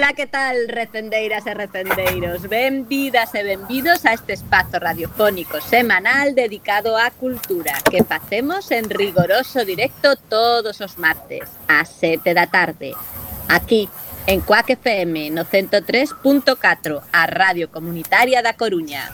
Ola, que tal, recendeiras e recendeiros? Benvidas e benvidos a este espazo radiofónico semanal dedicado á cultura que facemos en rigoroso directo todos os martes, ás 7 da tarde, aquí, en Cuac FM, no 103.4, a Radio Comunitaria da Coruña.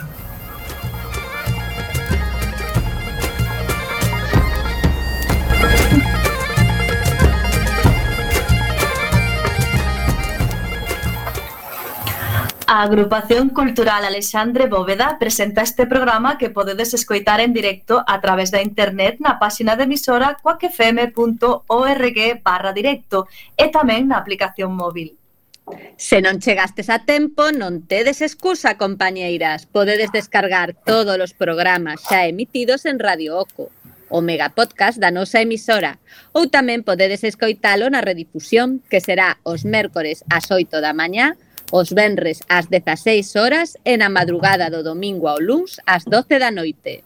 A Agrupación Cultural Alexandre Bóveda presenta este programa que podedes escoitar en directo a través da internet na páxina de emisora cuacfm.org/directo e tamén na aplicación móvil. Se non chegastes a tempo, non tedes excusa, compañeiras. Podedes descargar todos os programas xa emitidos en Radio Oco, o megapodcast da nosa emisora, ou tamén podedes escoitalo na redifusión, que será os mércores ás 8 da mañá, os venres ás 16 horas e na madrugada do domingo ao luns ás 12 da noite.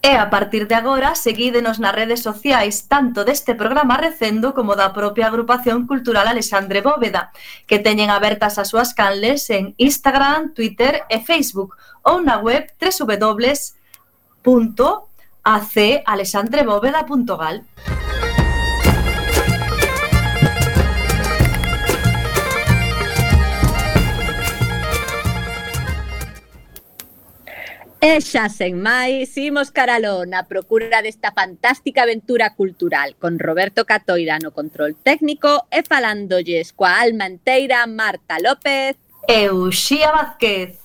E a partir de agora, seguídenos nas redes sociais tanto deste programa recendo como da propia Agrupación Cultural Alexandre Bóveda, que teñen abertas as súas canles en Instagram, Twitter e Facebook ou na web www.acalexandrebóveda.gal. E xa sen máis, imos caraló na procura desta fantástica aventura cultural con Roberto Catoira no control técnico e falándolles coa alma enteira Marta López e Uxía Vázquez.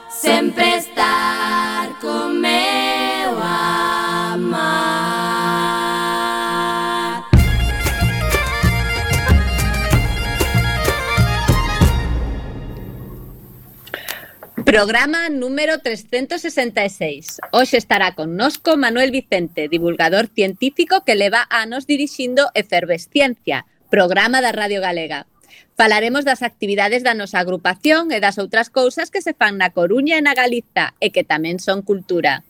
Sempre estar con meu amar. Programa número 366. Hoxe estará connosco Manuel Vicente, divulgador científico que leva anos dirixindo Efervesciencia, programa da Radio Galega. Falaremos das actividades da nosa agrupación e das outras cousas que se fan na Coruña e na Galiza e que tamén son cultura.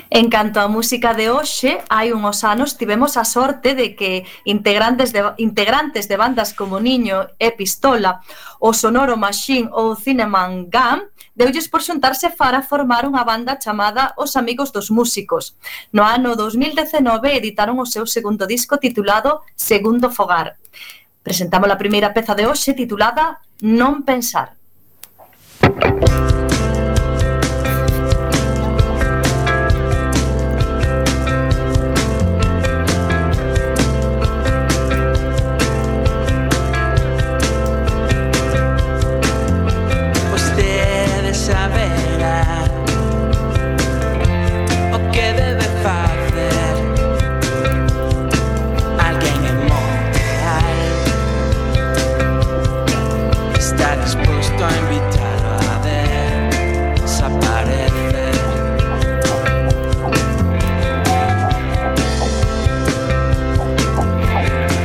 En canto á música de hoxe, hai uns anos tivemos a sorte de que integrantes de bandas como Niño e Pistola, o Sonoro Machine ou Cinnamon Gum, deulles por xuntarse para formar unha banda chamada Os Amigos dos Músicos. No ano 2019 editaron o seu segundo disco titulado Segundo Fogar. Presentamos a primeira peza de hoxe titulada Non Pensar. Vostede saberá o que debe facer alguén en Montreal. Está dispuesto a invitarlo a desaparecer.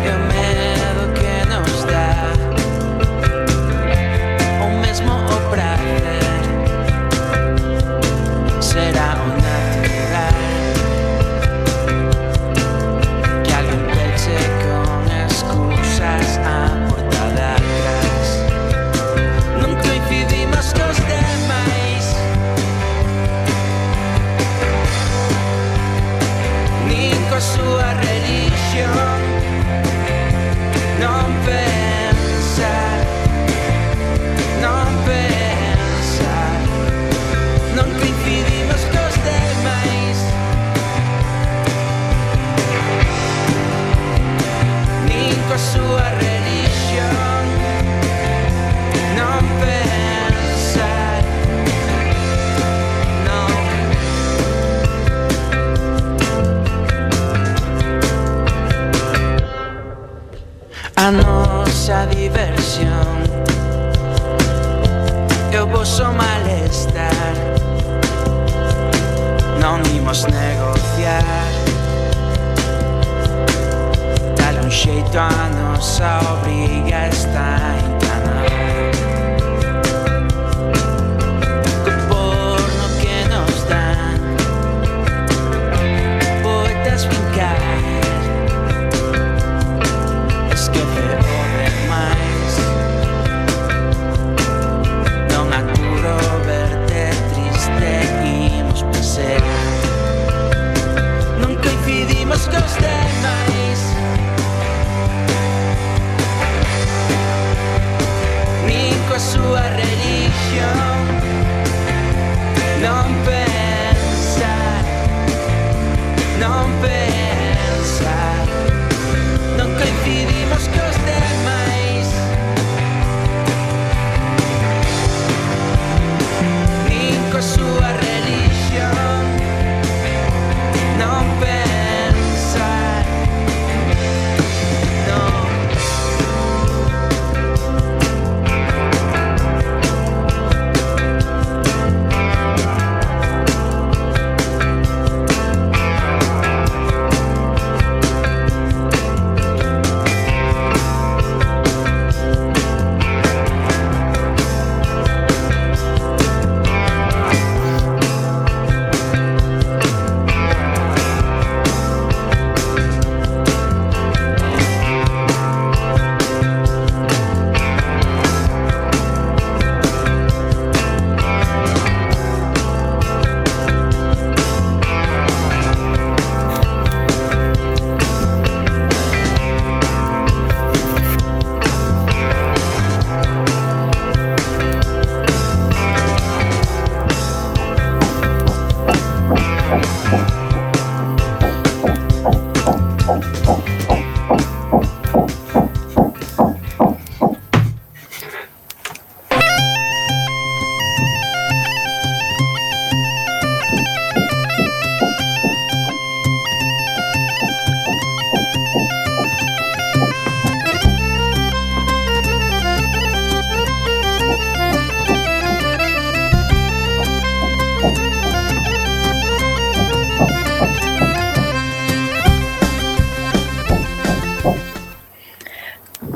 E o medo que nos dá o mesmo o prazer será o natural que alguén peche con excusas a porta de atrás. Non coincidimos cos demais, nin coa súa religión. Non pensar, non pensar, non coincidimos cos demais, nin coa súa religión. Non pensar, non. A nosa diversión e o voso malestar non imos negociar. Dale un xeito a nosa obriga está encanada. coa súa religión. Non pensar, non pensar, non coincidimos cos demais, nin coa súa religión. Non pensar, non.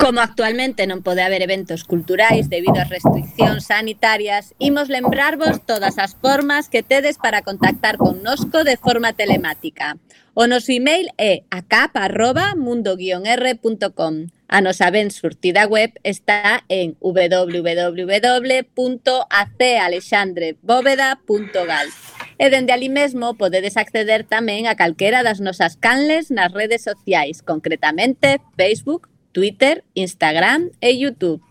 Como actualmente non pode haber eventos culturais debido ás restriccións sanitarias, imos lembrarvos todas as formas que tedes para contactar connosco de forma telemática. O noso email é acap@mundo-r.com. A nosa ben surtida web está en www.acalexandrebóveda.gal. E dende ali mesmo podedes acceder tamén a calquera das nosas canles nas redes sociais, concretamente Facebook, Twitter, Instagram e YouTube.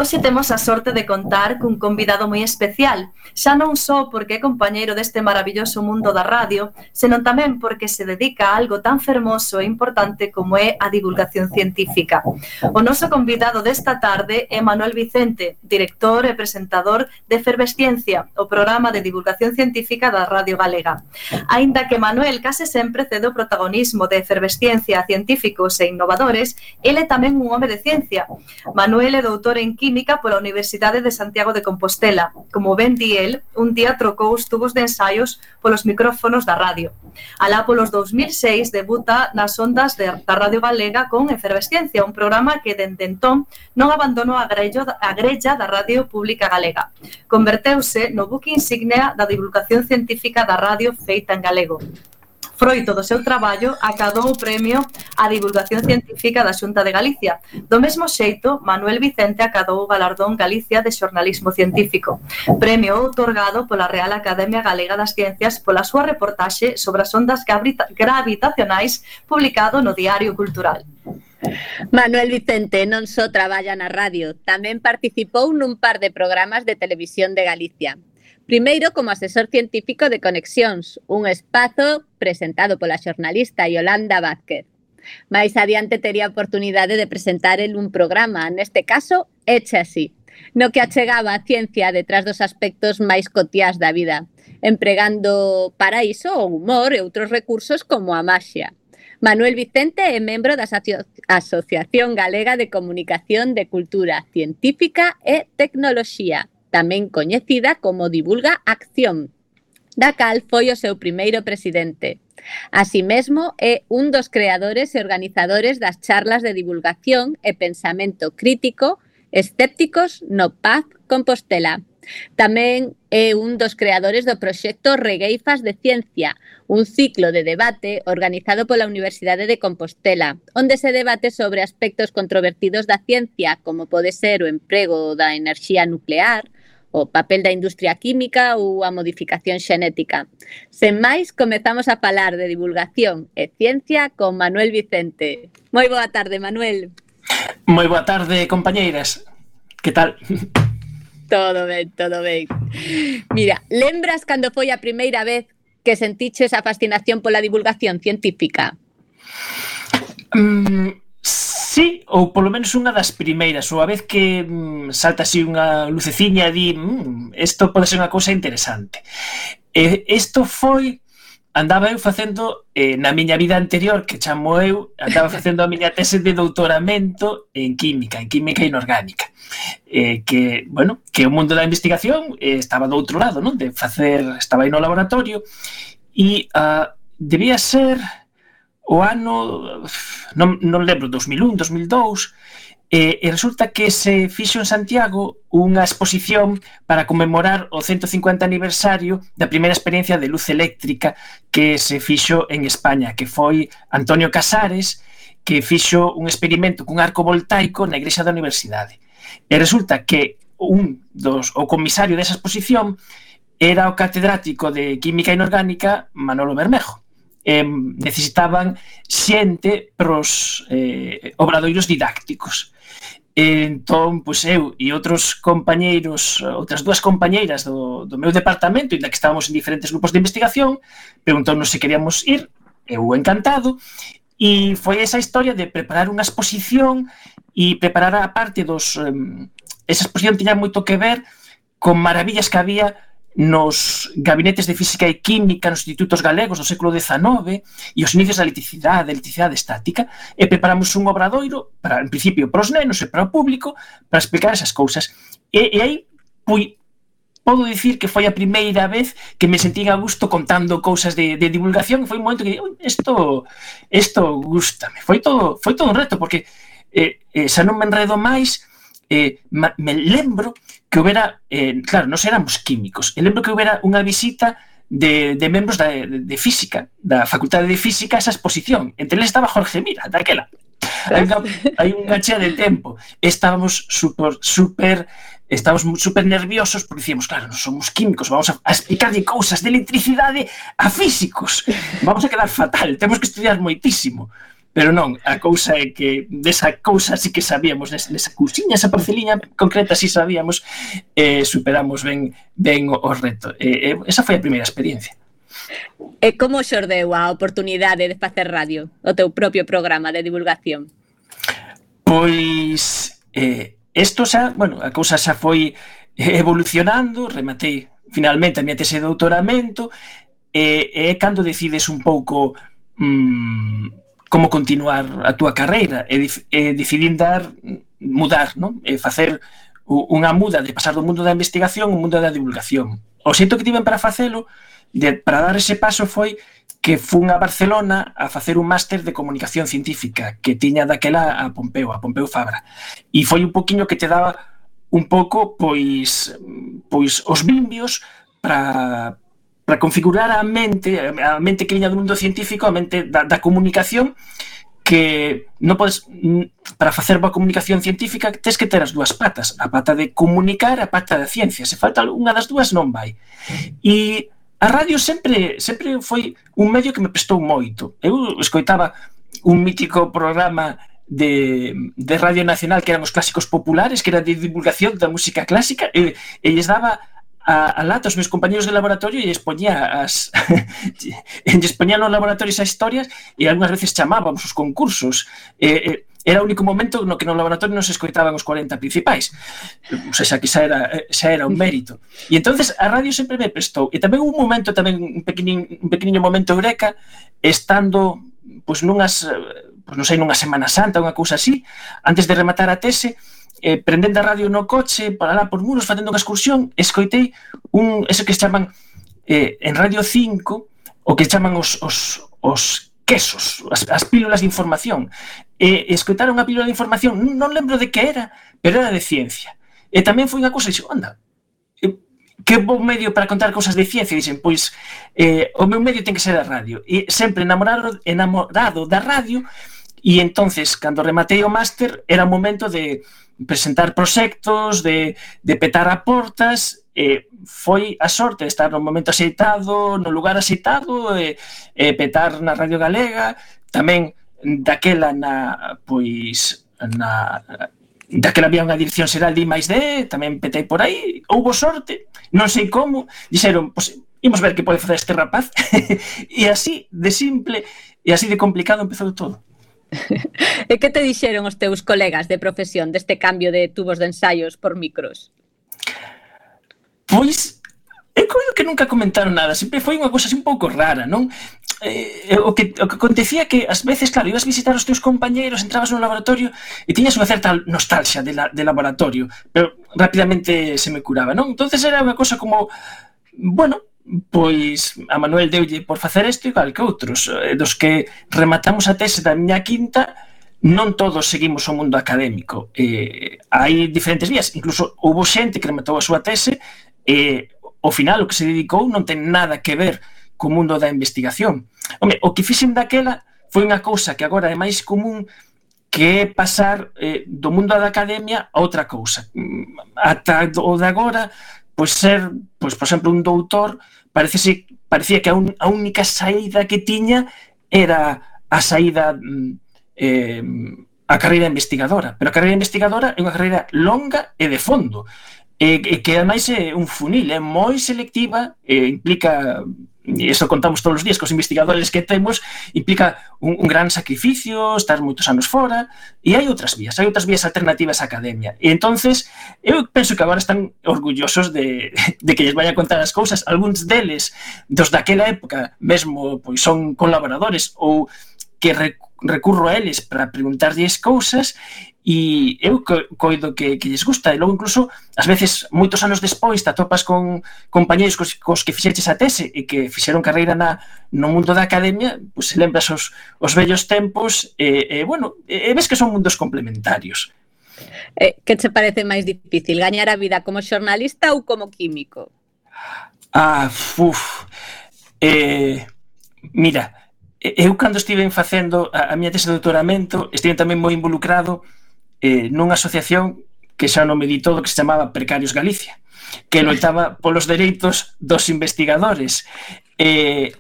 Hoxe temos a sorte de contar cun convidado moi especial, xa non só porque é compañeiro deste maravilloso mundo da radio, senón tamén porque se dedica a algo tan fermoso e importante como é a divulgación científica. O noso convidado desta tarde é Manuel Vicente, director e presentador de Efervesciencia, o programa de divulgación científica da Radio Galega. Aínda que Manuel case sempre cede o protagonismo de Efervesciencia a científicos e innovadores, ele é tamén un home de ciencia. Manuel é doutor en Química pola Universidade de Santiago de Compostela. Como ben di el, un día trocou os tubos de ensaios polos micrófonos da radio. Alá polos 2006 debuta nas ondas da Radio Galega con Efervesciencia, un programa que dende entón non abandonou a grella da Radio Pública Galega. Converteuse no buque insignia da divulgación científica da radio feita en galego. Froito do seu traballo, acadou o premio á divulgación científica da Xunta de Galicia. Do mesmo xeito, Manuel Vicente acadou o galardón Galicia de xornalismo científico, premio outorgado pola Real Academia Galega das Ciencias pola súa reportaxe sobre as ondas gravitacionais publicado no Diario Cultural. Manuel Vicente non só traballa na radio, tamén participou nun par de programas de televisión de Galicia. Primeiro como asesor científico de Conexións, un espazo presentado pola xornalista Yolanda Vázquez. Mais adiante tería a oportunidade de presentar el un programa, neste caso, Eche Así, no que achegaba a ciencia detrás dos aspectos máis cotiás da vida, empregando para iso o humor e outros recursos como a maxia. Manuel Vicente é membro da Asociación Galega de Comunicación de Cultura Científica e Tecnoloxía, tamén coñecida como Divulga Acción, da cal foi o seu primeiro presidente. Así mesmo, é un dos creadores e organizadores das charlas de divulgación e pensamento crítico escépticos no Paz Compostela. Tamén é un dos creadores do proxecto Regueifas de Ciencia, un ciclo de debate organizado pola Universidade de Compostela, onde se debate sobre aspectos controvertidos da ciencia, como pode ser o emprego da enerxía nuclear, o papel da industria química ou a modificación xenética. Sen máis, comezamos a falar de divulgación e ciencia con Manuel Vicente. Moi boa tarde, Manuel. Moi boa tarde, compañeiras. Que tal? Todo ben, todo ben. Mira, lembras cando foi a primeira vez que sentiches a fascinación pola divulgación científica? Sí, ou polo menos unha das primeiras, ou a vez que salta así unha luceciña e di isto pode ser unha cousa interesante. Isto foi, andaba eu facendo, na miña vida anterior, que chamo eu, andaba facendo a miña tese de doutoramento en química inorgánica. Que o mundo da investigación estaba do outro lado, non? Estaba aí no laboratorio e debía ser o ano, non lembro, 2001, 2002, e resulta que se fixo en Santiago unha exposición para conmemorar o 150 aniversario da primeira experiencia de luz eléctrica que se fixo en España, que foi Antonio Casares, que fixo un experimento cun arco voltaico na igrexa da universidade. E resulta que o comisario desa exposición era o catedrático de Química Inorgánica Manolo Bermejo. Necesitaban xente pros obradoiros didácticos. Entón, pois eu e outros compañeiros, outras dúas compañeiras do meu departamento, inda que estábamos en diferentes grupos de investigación, preguntounos se queríamos ir, eu encantado, e foi esa historia de preparar unha exposición e preparar a parte esa exposición tiña moito que ver con maravillas que había nos gabinetes de física e química nos institutos galegos do século XIX e os inicios da electricidade estática, e preparamos un obradoiro en principio para os nenos e para o público para explicar esas cousas, e aí podo dicir que foi a primeira vez que me sentín a gusto contando cousas de divulgación. Foi un momento que isto gústame, foi todo un reto, porque xa non me enredo máis. Me lembro que houbera, claro, nós éramos químicos, e lembro que houbera unha visita de membros de física, da Facultade de Física, a esa exposición. Entre eles estaba Jorge Mira, daquela. Hai unha chea de tempo. Estábamos super nerviosos, porque dicíamos, claro, non somos químicos, vamos a explicarlle cousas de electricidade a físicos. Vamos a quedar fatal, temos que estudiar moitísimo. Pero non, a cousa é que desa cousa sí que sabíamos, nesa cousiña, esa parceliña concreta sí sabíamos, superamos ben o reto. Esa foi a primeira experiencia. E como xordeu a oportunidade de facer radio, o teu propio programa de divulgación? Pois, isto xa, a cousa xa foi evolucionando, rematei finalmente a miña tese de doutoramento, e cando decides un pouco como continuar a túa carreira, e decidín mudar, non? Facer unha muda de pasar do mundo da investigación ao mundo da divulgación. O xeito que tiven para facelo, para dar ese paso, foi que fun a Barcelona a facer un máster de comunicación científica que tiña daquela a Pompeu Fabra, e foi un poquinho que te daba un pouco pois os vimbios para configurar a mente que viña do mundo científico, a mente da comunicación, que non podes, para facer boa comunicación científica tens que ter as dúas patas, a pata de comunicar e a pata da ciencia. Se falta unha das dúas non vai. E a radio sempre foi un medio que me prestou moito. Eu escoitaba un mítico programa de Radio Nacional que eran os clásicos populares, que era de divulgación da música clásica, e lles daba a lata aos meus compañeros de laboratorio e expoñía nos laboratorios as historias, e algunhas veces chamábamos os concursos. Era o único momento no que no laboratorio non se escoitaban os 40 principais, o sea, que xa era un mérito. E entonces a radio sempre me prestou. E tamén un momento, un pequeniño momento eureka, estando nunha Semana Santa, unha cousa así, antes de rematar a tese, prendendo a radio no coche, para lá por Muros, facendo unha excursión, escoitei eso que se chaman en Radio 5, o que chaman os quesos, as pílulas de información. Escoitaron a pílula de información, non lembro de que era, pero era de ciencia. E tamén foi unha cousa, anda, que bo medio para contar cousas de ciencia, dixen, pois o meu medio ten que ser a radio, e sempre enamorado da radio. E entonces, cando rematei o máster, era o momento de presentar proxectos, de petar a portas, foi a sorte de estar no momento axeitado, no lugar axeitado, petar na Radio Galega, tamén daquela daquela había unha dirección xeral de I+D, tamén petei por aí, houbo sorte, non sei como, dixeron, pois, imos ver que pode facer este rapaz, e así de simple e así de complicado empezou todo. E que te dixeron os teus colegas de profesión deste cambio de tubos de ensaios por micros? Pois, eu coido que nunca comentaron nada, sempre foi unha cousa así un pouco rara, non? O que acontecía que, ás veces, claro, ibas visitar os teus compañeiros, entrabas no laboratorio e tiñas unha certa nostalgia de laboratorio, pero rapidamente se me curaba, non? Entonces era unha cousa como, bueno, pois a Manuel deulle por facer isto igual que outros, dos que rematamos a tese da miña quinta, non todos seguimos o mundo académico, hai diferentes vías, incluso houve xente que rematou a súa tese e ao final o que se dedicou non ten nada que ver co mundo da investigación. Home, o que fixen daquela foi unha cousa que agora é máis común, que é pasar do mundo da academia a outra cousa. Ata o de agora, pois ser, pois, por exemplo, un doutor, parecía que a única saída que tiña era a saída a carreira investigadora, pero a carreira investigadora é unha carreira longa e de fondo, e que ademais é un funil, é moi selectiva, implica, e iso contamos todos os días cos investigadores que temos, implica un gran sacrificio, estar moitos anos fora, e hai outras vías alternativas á academia. E entonces, eu penso que agora están orgullosos de que lles vaya a contar as cousas. Algúns deles, dos daquela época, mesmo pois son colaboradores ou que recurro a eles para preguntarlles cousas, e eu coido que lles gusta, e logo incluso ás veces moitos anos despois te atopas con compañeros cos que fixeches a tese e que fixeron carreira no mundo da academia, pois se lembras os vellos tempos, bueno, ves que son mundos complementarios. Que che parece máis difícil, gañar a vida como xornalista ou como químico? Mira, eu cando estive facendo a miña tese de doutoramento estive tamén moi involucrado nunha asociación que xa non me di todo, que se chamaba Precarios Galicia, que loitaba polos dereitos dos investigadores, e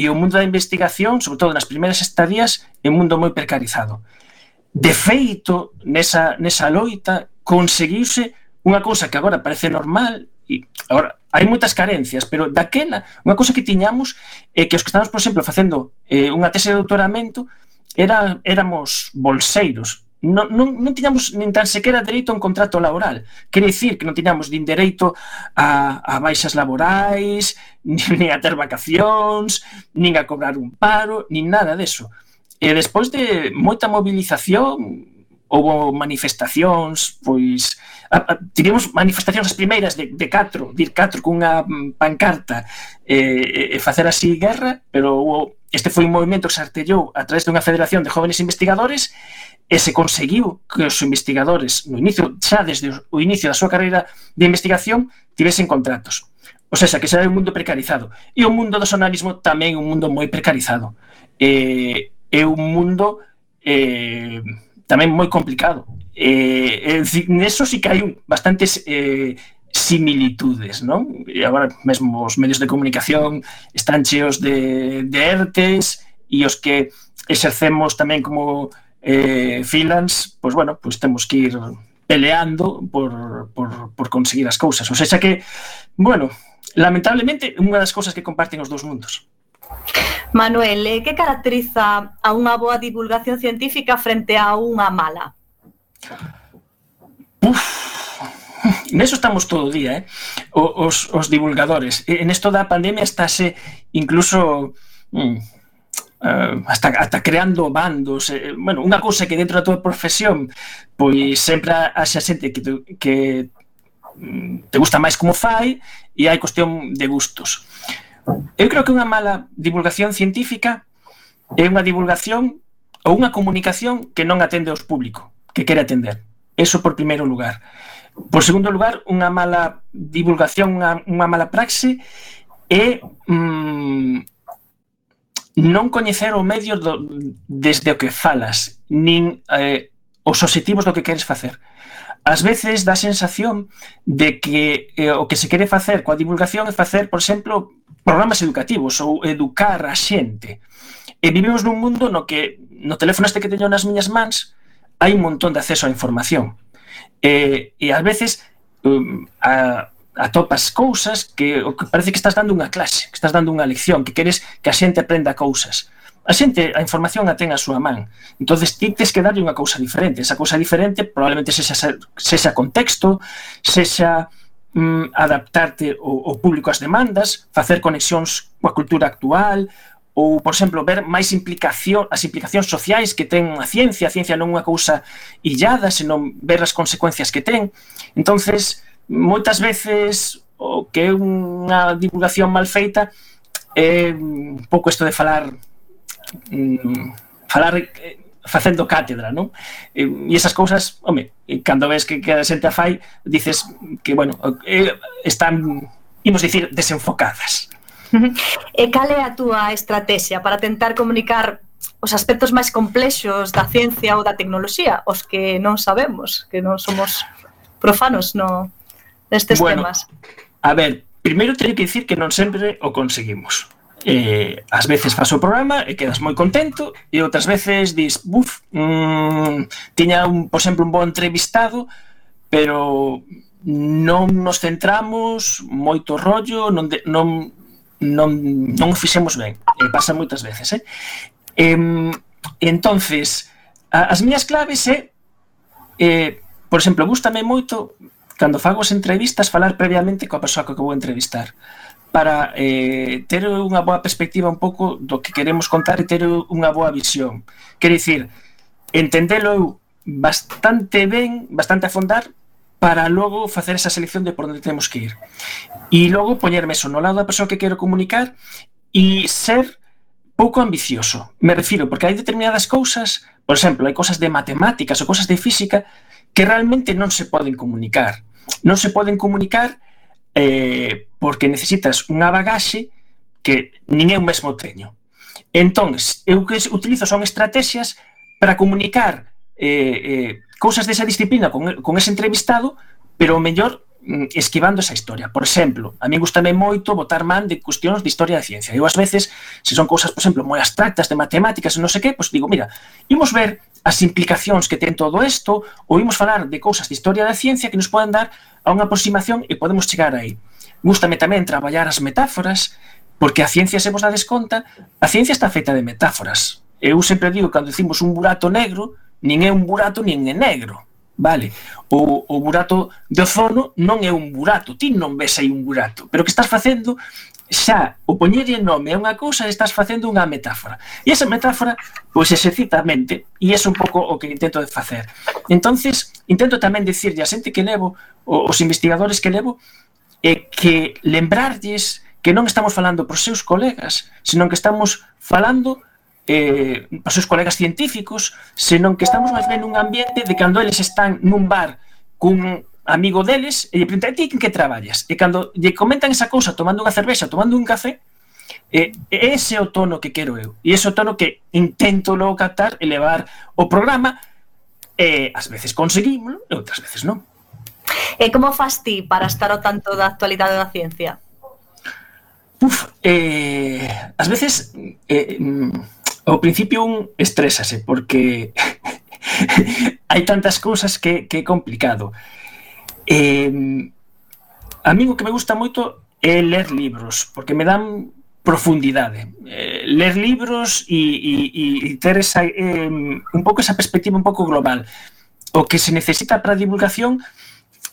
o mundo da investigación, sobre todo nas primeiras estadías, é un mundo moi precarizado. De feito, nesa loita conseguiuse unha cousa que agora parece normal, e agora hai moitas carencias, pero daquela unha cousa que tiñamos é que os que estamos, por exemplo, facendo unha tese de doutoramento éramos bolseiros. Non tiñamos nin tan sequera dereito a un contrato laboral. Quere dicir que non tiñamos nin dereito a baixas laborais, nin a ter vacacións, nin a cobrar un paro, nin nada deso. E despois de moita movilización, houve manifestacións, pois tivemos manifestacións as primeiras de catro cunha pancarta e facer así guerra, pero este foi un movimento que se artellou a través dunha federación de jóvenes investigadores e se conseguiu que os investigadores xa desde o inicio da súa carreira de investigación tivesen contratos. O sea, que xa é un mundo precarizado. E o mundo do xornalismo tamén é un mundo moi precarizado. É un mundo tamén moi complicado. Neso sí que hai bastantes similitudes, non? E agora mesmo os medios de comunicación están cheos de ERTEs, e os que exercemos tamén como freelance, pois bueno, pois temos que ir peleando por conseguir as cousas. O sea que, bueno, lamentablemente, unha das cousas que comparten os dous mundos. Manuel, que caracteriza a unha boa divulgación científica frente a unha mala? Neso estamos todo o día, os divulgadores. En esto da pandemia estáse incluso hasta creando bandos. Bueno, unha cousa que dentro da tua profesión pois sempre haxa xente que te gusta máis como fai, e hai cuestión de gustos. Eu creo que unha mala divulgación científica é unha divulgación ou unha comunicación que non atende ao público que quere atender. eso por primeiro lugar. Por segundo lugar, unha mala divulgación, unha mala praxe é non coñecer o medio desde o que falas, nin os obxectivos do que queres facer. Ás veces dá a sensación de que o que se quere facer coa divulgación é facer, por exemplo, programas educativos ou educar a xente. E vivimos nun mundo no que no teléfono este que teño nas miñas mans hai un montón de acceso á información. E ás veces atopas cousas que parece que estás dando unha clase, que estás dando unha lección, que queres que a xente aprenda cousas. A xente, a información a ten a súa man. Entonces, ti tes que darlle unha cousa diferente. Esa cousa diferente probablemente sexa contexto, sexa adaptarte ao público ás demandas, facer conexións coa cultura actual, ou, por exemplo, ver máis as implicacións sociais que ten a ciencia non unha cousa illada, senón ver as consecuencias que ten. Entonces, moitas veces o que é unha divulgación mal feita é un pouco isto de falar facendo cátedra, non? E esas cousas, home, cando ves que a xente a fai, dices que, bueno, están, imos dicir, desenfocadas. E cal é a túa estrategia para tentar comunicar os aspectos máis complexos da ciencia ou da tecnoloxía, os que non sabemos, que non somos profanos nestes temas? A ver, primeiro teño que dicir que non sempre o conseguimos. Ás veces faz o programa e quedas moi contento e outras veces dis, tiña, por exemplo, un bo entrevistado, pero non nos centramos, moito rollo, non o fixemos ben. Pasa moitas veces, entonces, as miñas claves por exemplo, gústame moito cando fago as entrevistas falar previamente coa persoa que vou entrevistar, para ter unha boa perspectiva un pouco do que queremos contar e ter unha boa visión. Quero dicir, entendelo bastante ben, bastante a fondar, para logo facer esa selección de por onde temos que ir. E logo poñerme eso no lado da persoa que quero comunicar e ser pouco ambicioso. Me refiro, porque hai determinadas cousas, por exemplo, hai cousas de matemáticas ou cousas de física que realmente non se poden comunicar. Non se poden comunicar porque necesitas unha bagaxe que nin eu mesmo teño. Entón, eu que utilizo son estrategias para comunicar cousas desa disciplina con ese entrevistado, pero o mellor esquivando esa historia. Por exemplo, a mí gustame moito botar man de cuestións de historia da ciencia. Eu, ás veces, se son cousas, por exemplo, moi abstractas de matemáticas e non sei que, pois digo, mira, imos ver as implicacións que ten todo isto, ou imos falar de cousas de historia da ciencia que nos poden dar a unha aproximación e podemos chegar aí. Gústame tamén traballar as metáforas, porque a ciencia, se vos dades conta, a ciencia está feita de metáforas. Eu sempre digo, cando dicimos un burato negro, nin é un burato nin é negro, vale? O burato de ozono non é un burato, ti non ves aí un burato, pero que estás facendo xa, o poñerlle nome a unha cousa, estás facendo unha metáfora. E esa metáfora, pois, exercita a mente, e é un pouco o que intento de facer. Entonces, intento tamén dicirlle a xente que levo, os investigadores que levo, que lembrarlles que non estamos falando pros seus colegas, senón que estamos falando para os seus colegas científicos, senón que estamos máis ben nun ambiente de cando eles están nun bar cun amigo deles e lle preguntan, ti en que traballas? E cando lle comentan esa cousa tomando unha cervexa, tomando un café, ese é o tono que quero eu, e ese é o tono que intento logo captar e levar o programa, e ás veces conseguímoslo e outras veces non. E como fas ti para estar ao tanto da actualidade da ciencia? Ás veces ao principio un estrésase porque hai tantas cousas que é complicado. A mí o que me gusta moito é ler libros, porque me dan profundidade. Ler libros e ter un pouco esa perspectiva un pouco global. O que se necesita para a divulgación,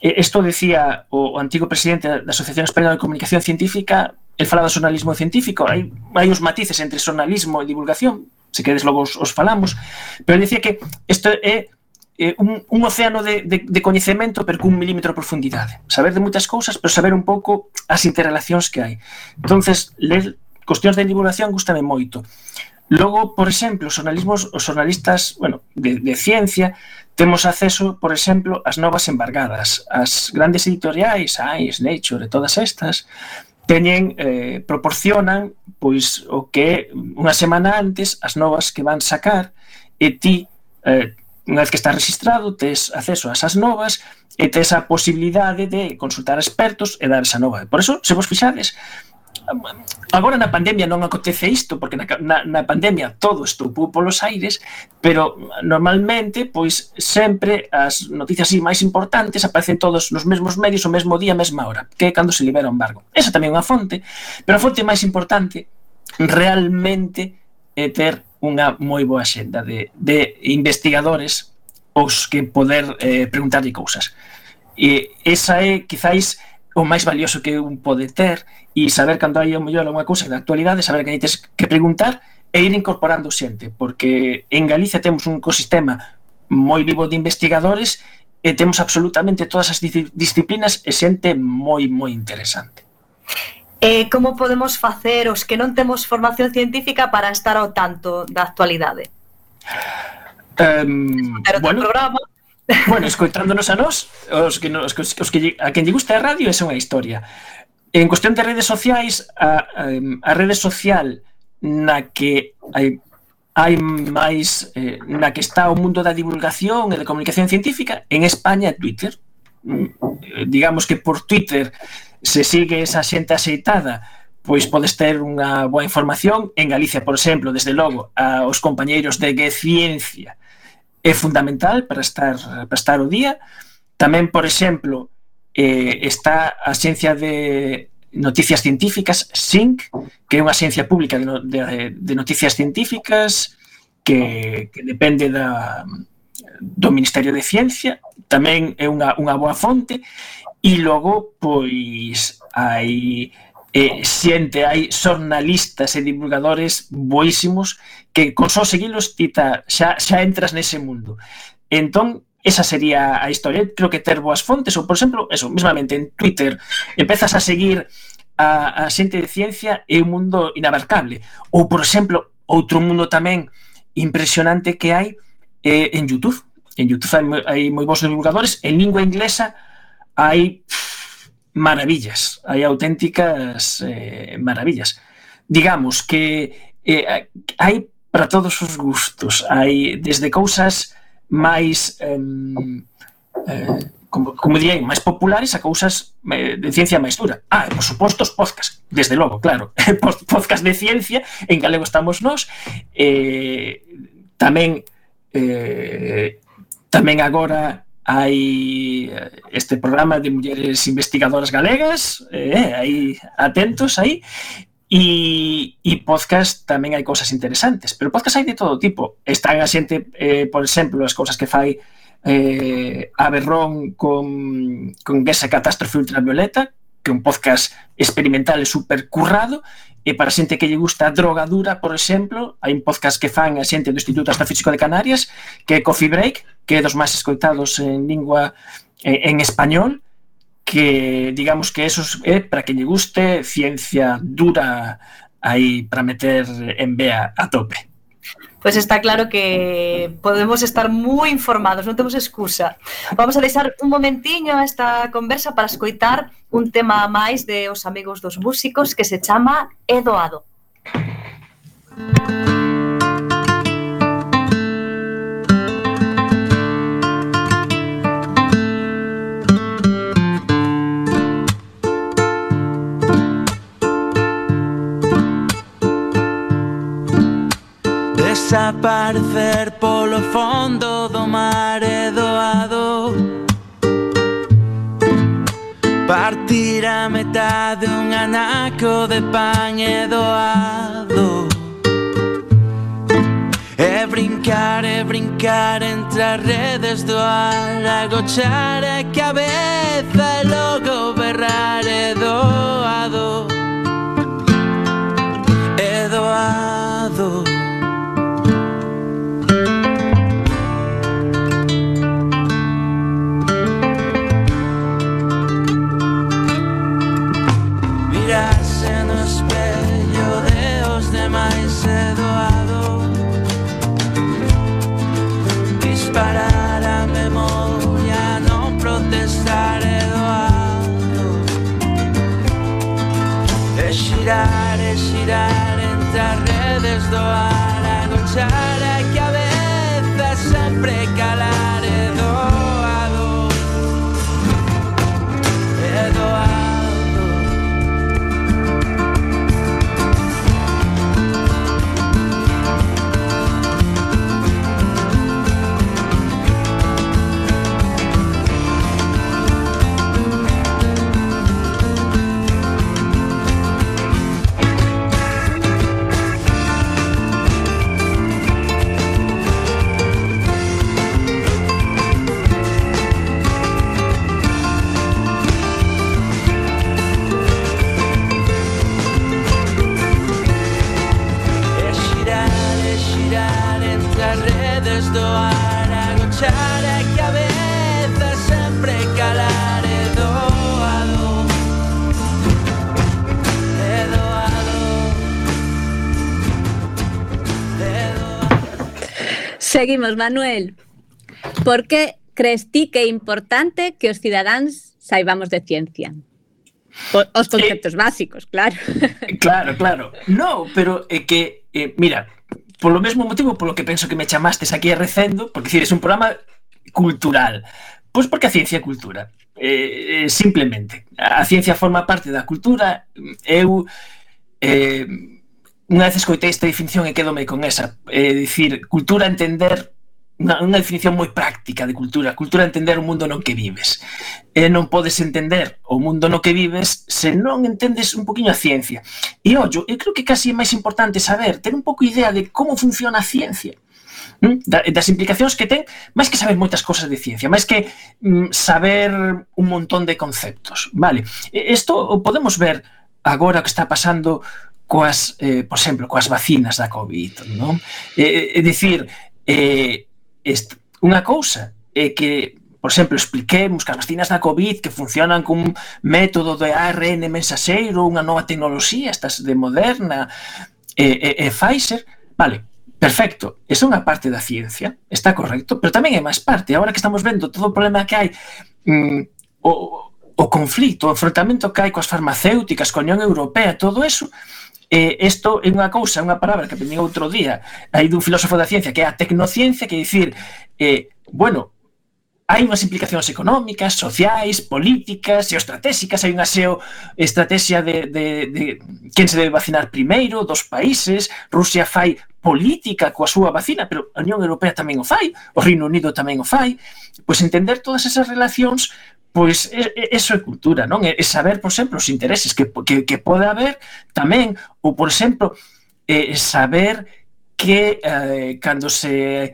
isto decía o antigo presidente da Asociación Española de Comunicación Científica, el falaba do xornalismo científico, hai uns matices entre xornalismo e divulgación, se queres logo os falamos, pero decía que isto é un océano de coñecemento, pero cun milímetro de profundidade. Saber de moitas cousas, pero saber un pouco as interrelacións que hai. Entonces, ler cuestións de divulgación gústame moito. Logo, por exemplo, os xornalistas, bueno, de ciencia, temos acceso, por exemplo, ás novas embargadas. As grandes editoriais, Ice, Nature e todas estas, proporcionan pois o que unha semana antes as novas que van sacar, e ti, unha vez que estás registrado, tes acceso a esas novas e tes a posibilidade de consultar expertos e dar esa nova. Por eso, se vos fixades, agora na pandemia non acontece isto, porque na pandemia todo estoupou polos aires, pero normalmente, pois, sempre as noticias máis importantes aparecen todos nos mesmos medios, o mesmo día, a mesma hora, que é cando se libera o embargo. Esa tamén é unha fonte, pero a fonte máis importante realmente é ter unha moi boa xenda de investigadores aos que poder preguntarlle cousas. E esa é, quizáis, o máis valioso que un pode ter, e saber cando hai o mellor unha cousa da actualidade, saber que tens que preguntar e ir incorporando xente, porque en Galicia temos un ecosistema moi vivo de investigadores e temos absolutamente todas as disciplinas e xente moi, moi interesante. Como podemos facer os que non temos formación científica para estar ao tanto da actualidade? Bueno, escoitándonos a nós, a quen lle gusta a radio, esa é unha historia. En cuestión de redes sociais, a rede social na que hai máis, na que está o mundo da divulgación e da comunicación científica, en España é Twitter. Digamos que por Twitter se sigue esa xente axeitada, pois podes ter unha boa información. En Galicia, por exemplo, desde logo, os compañeiros de Ciencia é fundamental para estar ao día. Tamén, por exemplo, está a Axencia de Noticias Científicas, SINC, que é unha axencia pública de noticias científicas que depende do Ministerio de Ciencia. Tamén é unha boa fonte. E logo, pois, hai xornalistas e divulgadores boísimos que con só seguilos xa entras nese mundo. Entón, esa sería a historia. Creo que ter boas fontes, ou, por exemplo, eso, mesmamente en Twitter, empezas a seguir a xente de ciencia, é un mundo inabarcable. Ou, por exemplo, outro mundo tamén impresionante que hai en YouTube. En YouTube hai moi bons divulgadores. En lingua inglesa hai maravillas, hai auténticas maravillas. Digamos que hai para todos os gustos, hai desde cousas máis como dirían, máis populares a cousas de ciencia máis dura. Por suposto, os podcast, desde logo, claro. Podcast de ciencia, en galego estamos nós. Tamén agora hai este programa de mulleres investigadoras galegas, aí atentos aí, e podcast tamén hai cousas interesantes, pero podcast hai de todo tipo. Están a xente, por exemplo, as cousas que fai a Berrón con esa catástrofe ultravioleta, que é un podcast experimental e super currado. E para xente que lle gusta a droga dura, por exemplo, hai un podcast que fan a xente do Instituto Astrofísico de Canarias, que é Coffee Break, que é dos máis escoitados en lingua en español, que digamos que eso é para que lle guste ciencia dura aí para meter en vea a tope. Pois está claro que podemos estar moi informados, non temos excusa. Vamos a deixar un momentiño esta conversa para escoitar un tema máis de Os Amigos dos Músicos que se chama É Doado. Desaparecer polo fondo do mar é doado. Partir a metade un anaco de pan é doado. É brincar entre as redes do ar, agochar a cabeza e logo berrar é doado. É doado. Parar a xirar e xirar entre as redes do ar, agochar a cabeza, sempre calar e doado, e doado. Do ar, agochar a cabeza, sempre calar e doado, e doado, e doado. Seguimos, Manuel. Por que crees ti que é importante que os cidadáns saibamos de ciencia? Os conceptos básicos, claro. Claro. No, pero é que, mira, polo mesmo motivo polo que penso que me chamastes aquí a recendo, porque decir, é un programa cultural. Pois porque a ciencia é cultura. Simplemente. A ciencia forma parte da cultura. Eu unha vez escoitei esta definición e quedome con esa. Dicir, cultura entender unha definición moi práctica de cultura. Cultura entender o mundo no que vives. Non podes entender o mundo no que vives se non entendes un poquinho a ciencia. E ollo, eu creo que casi é máis importante saber, ter un pouco idea de como funciona a ciencia, das implicacións que ten, máis que saber moitas cosas de ciencia, máis que saber un montón de conceptos, vale? Isto o podemos ver agora o que está pasando coas, por exemplo, coas vacinas da COVID, non? É dicir, unha cousa é que, por exemplo, expliquemos que as vacinas da COVID que funcionan cun método de ARN mensaxeiro, unha nova tecnoloxía, estas de Moderna e Pfizer, vale, perfecto, esa é unha parte da ciencia, está correcto, pero tamén é máis parte, agora que estamos vendo todo o problema que hai, o conflito, o enfrontamento que hai coas farmacéuticas, coa Unión Europea, todo eso. Isto é unha cousa, unha palabra que aprendi outro día aí dun filósofo da ciencia que é a tecnociencia, que é dicir, bueno, hai unhas implicacións económicas, sociais, políticas, geoestratégicas, hai unha estrategia de quen se debe vacinar primeiro, dos países. Rusia fai política coa súa vacina, pero a Unión Europea tamén o fai, o Reino Unido tamén o fai. Pois entender todas esas relacións, pois eso é cultura, non? É saber, por exemplo, os intereses que pode haber tamén, ou, por exemplo, saber que cando se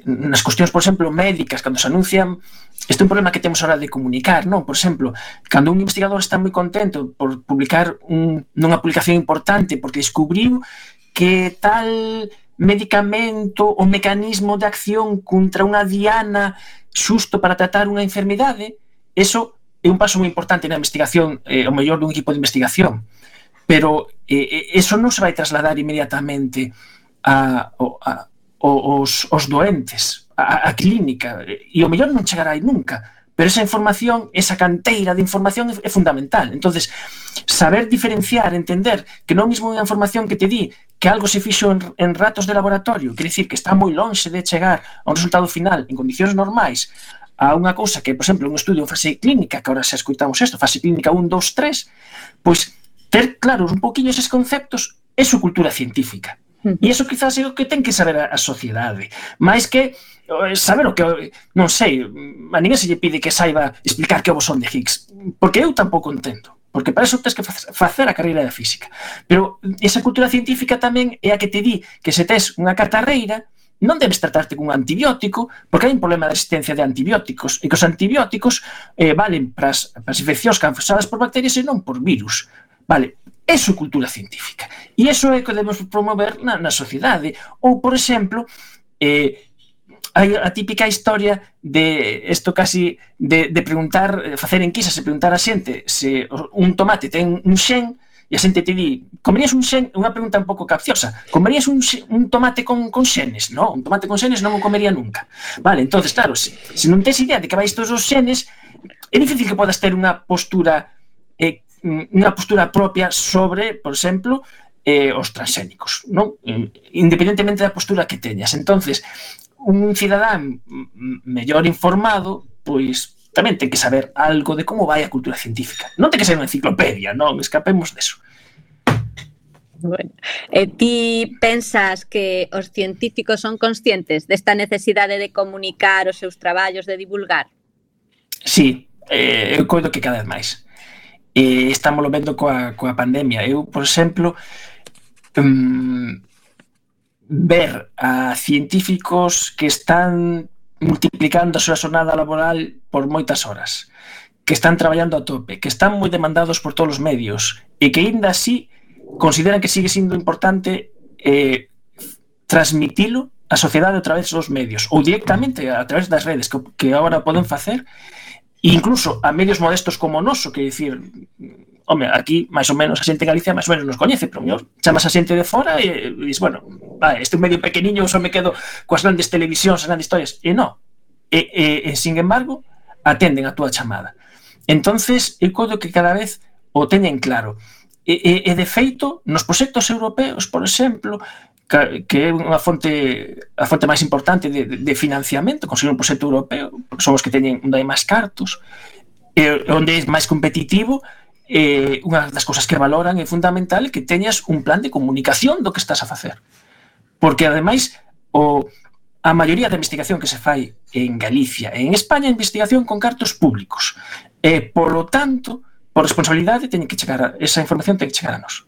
nas cuestións, por exemplo, médicas, cando se anuncian, este é un problema que temos a hora de comunicar, non? Por exemplo, cando un investigador está moi contento por publicar nunha publicación importante porque descubriu que tal medicamento ou mecanismo de acción contra unha diana xusto para tratar unha enfermidade, eso é un paso moi importante na investigación, o mellor dun equipo de investigación, pero eso non se vai trasladar inmediatamente aos doentes, a clínica, e o mellor non chegará aí nunca, pero esa información, esa canteira de información é fundamental. Entonces, saber diferenciar, entender que non mesmo unha información que te di que algo se fixo en ratos de laboratorio, quer dicir que está moi lonxe de chegar a un resultado final en condicións normais, a unha cousa que, por exemplo, un estudio en fase clínica, que agora xa escoitamos isto, fase clínica 1, 2, 3, pois ter claros un poquinho eses conceptos é su cultura científica. E iso quizás é o que ten que saber a sociedade, máis que saber o que, non sei, a ninguén se lle pide que saiba explicar que o bosón de Higgs, porque eu tampouco entendo, porque para eso tens que facer a carreira de física. Pero esa cultura científica tamén é a que te di que se tes unha catarreira non debes tratarte cun antibiótico, porque hai un problema de resistencia de antibióticos, e que os antibióticos valen para as infeccións causadas por bacterias e non por virus. Vale, eso é cultura científica. E iso é o que debemos promover na sociedade. Ou, por exemplo, hai a típica historia de isto casi de preguntar, facer enquisas e preguntar a xente se un tomate ten un xen, e a xente te di, comerías un xen? Unha pregunta un pouco capciosa. Comerías un tomate con xenes? Non, un tomate con xenes non o comería nunca. Vale, entonces, claro, se non tes idea de que vais todos os xenes, é difícil que podas ter unha postura unha postura propia sobre, por exemplo, os transxénicos, non? Independentemente da postura que teñas. Entonces, un cidadán mellor informado, pois tamén ten que saber algo de como vai a cultura científica. Non ten que ser unha enciclopedia, non escapemos deso. Bueno, ti pensas que os científicos son conscientes desta necesidade de comunicar os seus traballos, de divulgar? Sí, eu coido que cada vez máis. Estamos vendo coa pandemia. Eu, por exemplo, ver a científicos que están multiplicando a súa xornada laboral por moitas horas, que están traballando a tope, que están moi demandados por todos os medios e que ainda así consideran que sigue sendo importante transmitilo á sociedade a través dos medios ou directamente a través das redes que agora poden facer, incluso a medios modestos como o noso, que dicir, home, aquí máis ou menos a xente en Galicia máis ou menos nos coñece, pero mellor chamas a xente de fora e dices, bueno, este é un medio pequeniño, só me quedo coas grandes televisións, as grandes historias, e non, sin embargo atenden a túa chamada. Entonces eu coido que cada vez o teñen claro, e de feito nos proxectos europeos, por exemplo, que é a fonte máis importante de financiamento, conseguir un proxecto europeo, porque son os que teñen onde hai máis cartos, onde é máis competitivo, unha das cousas que valoran é fundamental que teñas un plan de comunicación do que estás a facer. Porque, ademais, a maioría da investigación que se fai en Galicia e en España é investigación con cartos públicos. Polo tanto, por responsabilidade, esa información ten que chegar a nós.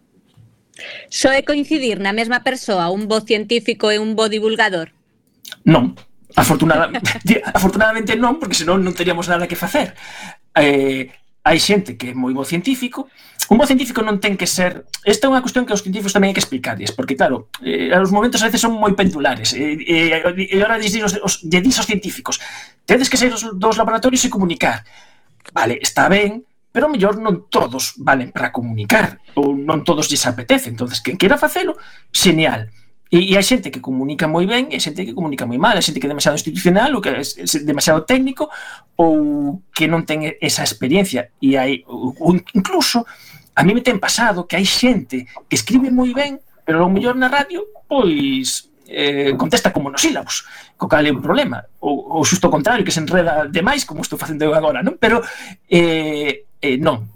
Só é coincidir na mesma persoa un bo científico e un bo divulgador? Non, afortunadamente non, porque senón non teríamos nada que facer. Hai xente que é moi bo científico. Un bo científico non ten que ser... Esta é unha cuestión que os científicos tamén hai que explicarles, porque claro, os momentos a veces son moi pendulares, e agora lle dis aos científicos, tedes que sair dos laboratorios e comunicar. Vale, está ben, pero mellor non todos valen para comunicar, ou non todos lles apetece. Entonces, quen queira facelo, genial. E hai xente que comunica moi ben e hai xente que comunica moi mal, hai xente que é demasiado institucional ou que é demasiado técnico ou que non ten esa experiencia. E hai, incluso, a mí me ten pasado que hai xente que escribe moi ben, pero ao mellor na radio, pois contesta como monosílabos, co cal é un problema. Ou xusto o contrario, que se enreda demais, como estou facendo eu agora, non? Pero non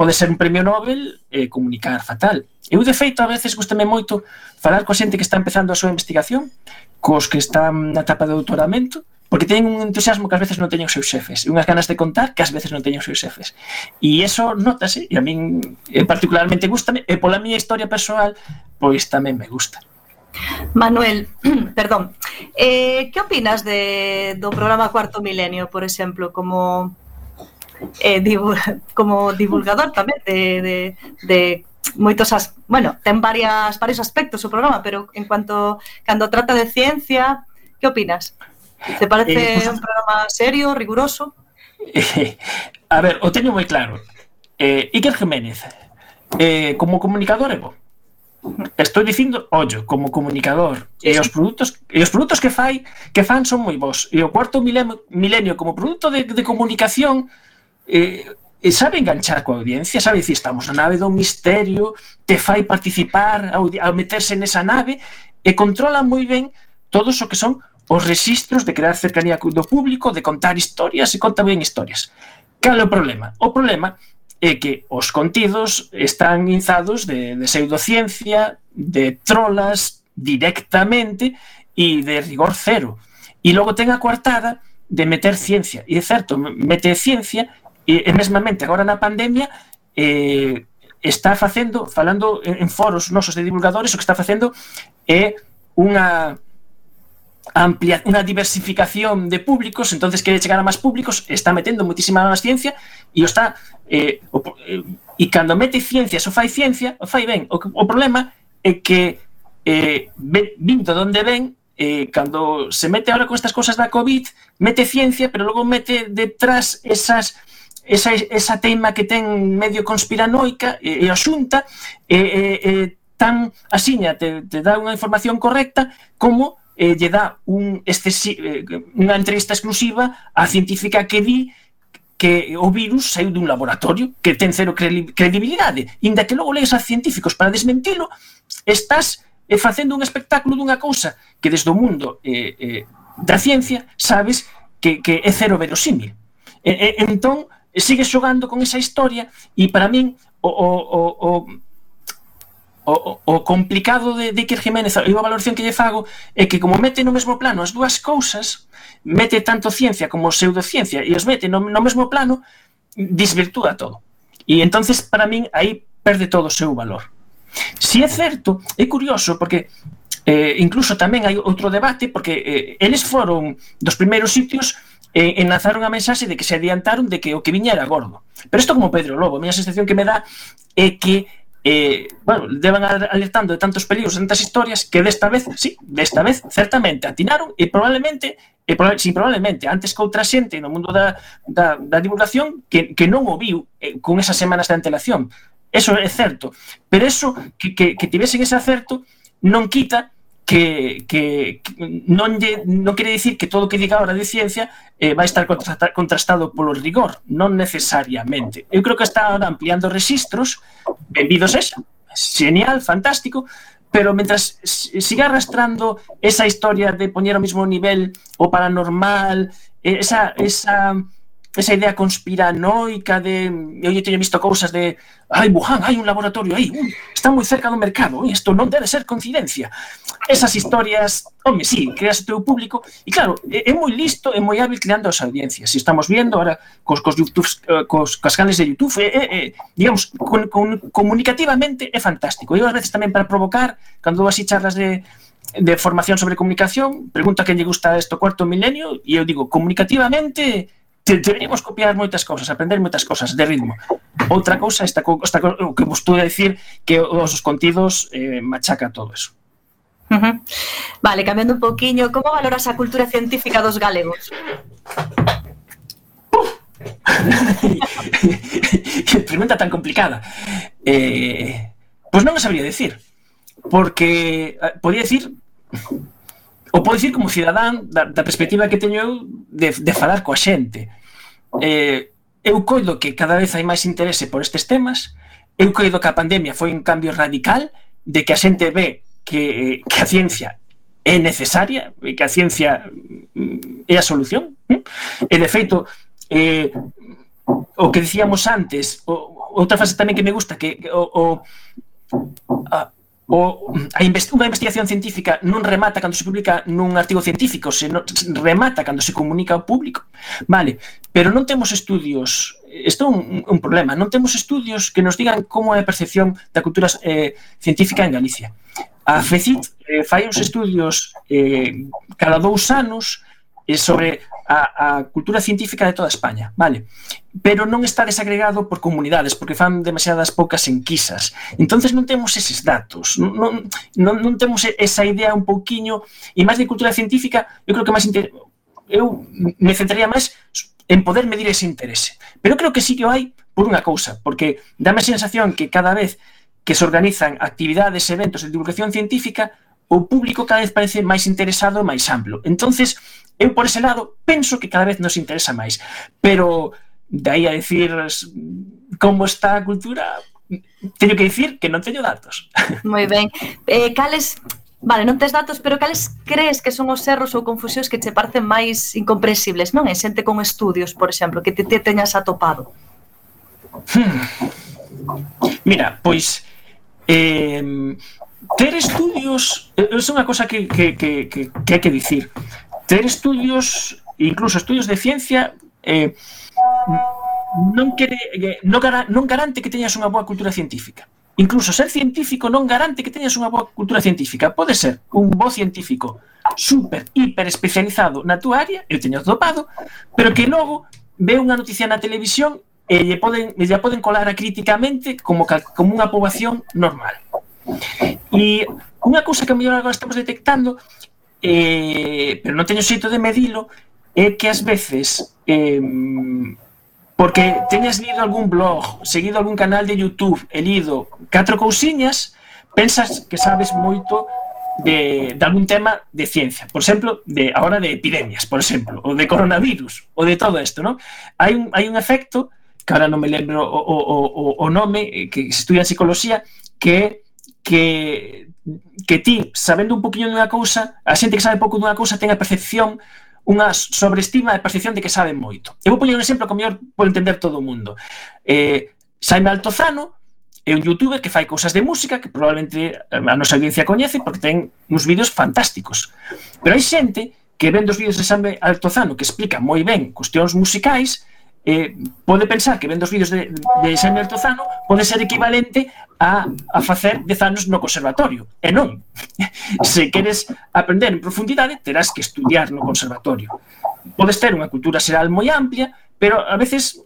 pode ser un premio Nobel comunicar fatal. Eu, de feito, a veces gustame moito falar coa xente que está empezando a súa investigación, cos que están na etapa de doutoramento, porque teñen un entusiasmo que ás veces non teñen os seus xefes, e unhas ganas de contar que ás veces non teñen os seus xefes. E iso notase, e a min particularmente gustame, e pola miña historia persoal, pois tamén me gusta. Manuel, perdón, que opinas do programa Cuarto Milenio, por exemplo, como divulgador tamén de moitos, bueno, ten varios aspectos o programa, pero en cuanto cando trata de ciencia, que opinas? Te parece un programa serio, riguroso? A ver, o teño moi claro. Iker Jiménez, como comunicador é bo. Estou dicindo, ollo, como comunicador, e os produtos que fan son moi bons. E o Cuarto Milenio como produto de comunicación sabe enganchar coa audiencia, sabe dicir, estamos na nave do misterio, te fai participar ao meterse nesa nave, e controla moi ben todos o que son os rexistros de crear cercanía do público, de contar historias, e conta ben historias. Cal é o problema? O problema é que os contidos están inzados de pseudociencia, de trolas directamente e de rigor cero. E logo ten a coartada de meter ciencia. E é certo, mete ciencia e mesmamente agora na pandemia está falando en foros nosos de divulgadores, o que está facendo é unha diversificación de públicos, entonces quere chegar a máis públicos, está metendo moitísima máis ciencia e e cando mete ciencia, o fai ben. O problema é que vindo donde ven, cando se mete ahora con estas cosas da COVID, mete ciencia, pero logo mete detrás esa teima que ten medio conspiranoica e a xunta tan asiña te dá unha información correcta como lle dá unha entrevista exclusiva á científica que di que o virus saiu dun laboratorio que ten cero credibilidade, inda que logo lees a científicos para desmentilo, estás facendo un espectáculo dunha cousa que desde o mundo da ciencia sabes que é cero verosímil. Entón, sigues xogando con esa historia e para min o complicado de Iker Jiménez e a valoración que lle fago é que como mete no mesmo plano as dúas cousas, mete tanto ciencia como pseudociencia e os mete no mesmo plano, desvirtúa todo. E entonces para min aí perde todo o seu valor. Si é certo, é curioso porque incluso tamén hai outro debate porque eles foron dos primeiros sitios en lanzaron a mensaxe de que se adiantaron de que o que viña era gordo. Pero isto como Pedro Lobo, a miña sensación que me dá é que deban alertando de tantos peligros, de tantas historias que desta vez certamente atinaron e probablemente antes que outra xente no mundo da divulgación que non o viu con esas semanas de antelación. Eso é certo, pero eso que tivesen ese acerto non quita que non quere dicir que todo o que diga ahora de ciencia vai estar contrastado polo rigor, non necesariamente. Eu creo que está ahora ampliando registros, benvidos esa, genial, fantástico, pero mentras siga arrastrando esa historia de poñer ao mesmo nivel o paranormal, esa idea conspiranoica de eu teño visto cousas de Wuhan, hai un laboratorio aí, está moi cerca do mercado, isto non debe ser coincidencia. Esas historias, sí, creas o teu público e claro, é moi listo, é moi hábil creando as audiencias. Se estamos viendo ahora cos canales de YouTube, digamos, comunicativamente é fantástico. Eu ás veces tamén para provocar, cando dou así charlas de formación sobre comunicación, pregunto a quen lle gusta isto cuarto milenio e eu digo, comunicativamente deberíamos copiar moitas cousas, aprender moitas cousas de ritmo. Outra cousa esta que vos estou a decir que os contidos machaca todo eso. Vale, cambiando un pouquiño, como valoras a cultura científica dos galegos? Que pregunta tan complicada. Pois non o sabría decir, porque podía decir ou podo dicir como cidadán da perspectiva que teño eu de falar coa xente. Eu coido que cada vez hai máis interese por estes temas, eu coido que a pandemia foi un cambio radical de que a xente ve que a ciencia é necesaria, que a ciencia é a solución, e de feito o que dicíamos antes, outra frase tamén que me gusta, que unha investigación científica non remata cando se publica nun artigo científico, se remata cando se comunica ao público, vale, pero non temos estudios, isto é un problema, non temos estudios que nos digan como é a percepción da cultura científica en Galicia. A FECIT fai uns estudios cada 2 anos sobre a cultura científica de toda España, vale? Pero non está desagregado por comunidades, porque fan demasiadas poucas enquisas. Entonces non temos eses datos, non temos esa idea un pouquiño, e máis de cultura científica, eu creo que máis eu me centraría máis en poder medir ese interese. Pero creo que sí que o hai por unha cousa, porque dame a sensación que cada vez que se organizan actividades, eventos de divulgación científica, o público cada vez parece máis interesado e máis amplo. Entonces, eu por ese lado penso que cada vez nos interesa máis, pero de aí a decir como está a cultura, teño que dicir que non teño datos. Moi ben. Cales, vale, non tes datos, pero cales crees que son os erros ou confusións que che parecen máis incomprensibles, non? En xente con estudios, por exemplo, que te teñas atopado. Mira, pois ter estudios é unha cosa que hai que dicir. Ter estudios, incluso estudios de ciencia, non garante que teñas unha boa cultura científica. Incluso ser científico non garante que teñas unha boa cultura científica. Pode ser un bo científico super, hiper especializado na túa área, eu teño topado, pero que logo ve unha noticia na televisión e lle poden colar críticamente como unha poboación normal. E unha cousa que a mellor agora estamos detectando, pero non teño xeito de medilo, é que ás veces porque teñas lido algún blog, seguido algún canal de YouTube e lido 4 cousiñas, pensas que sabes moito de algún tema de ciencia, por exemplo, ahora de epidemias, por exemplo, ou de coronavirus, ou de todo isto, non? Hai un efecto, que ahora non me lembro o nome, que se estudia en psicología, que ti, sabendo un poquinho dunha cousa, a xente que sabe pouco dunha cousa ten a percepción, unha sobreestima de percepción de que sabe moito. Eu vou poñer un exemplo que o mellor pode entender todo o mundo. Jaime Altozano é un youtuber que fai cousas de música que probablemente a nosa audiencia coñece porque ten uns vídeos fantásticos. Pero hai xente que vendo os vídeos de Jaime Altozano que explica moi ben cuestións musicais, pode pensar que vendo os vídeos de Jaime Altozano pode ser equivalente a facer 10 anos no conservatorio. E non. Se queres aprender en profundidade, terás que estudiar no conservatorio. Podes ter unha cultura xeral moi amplia, pero a veces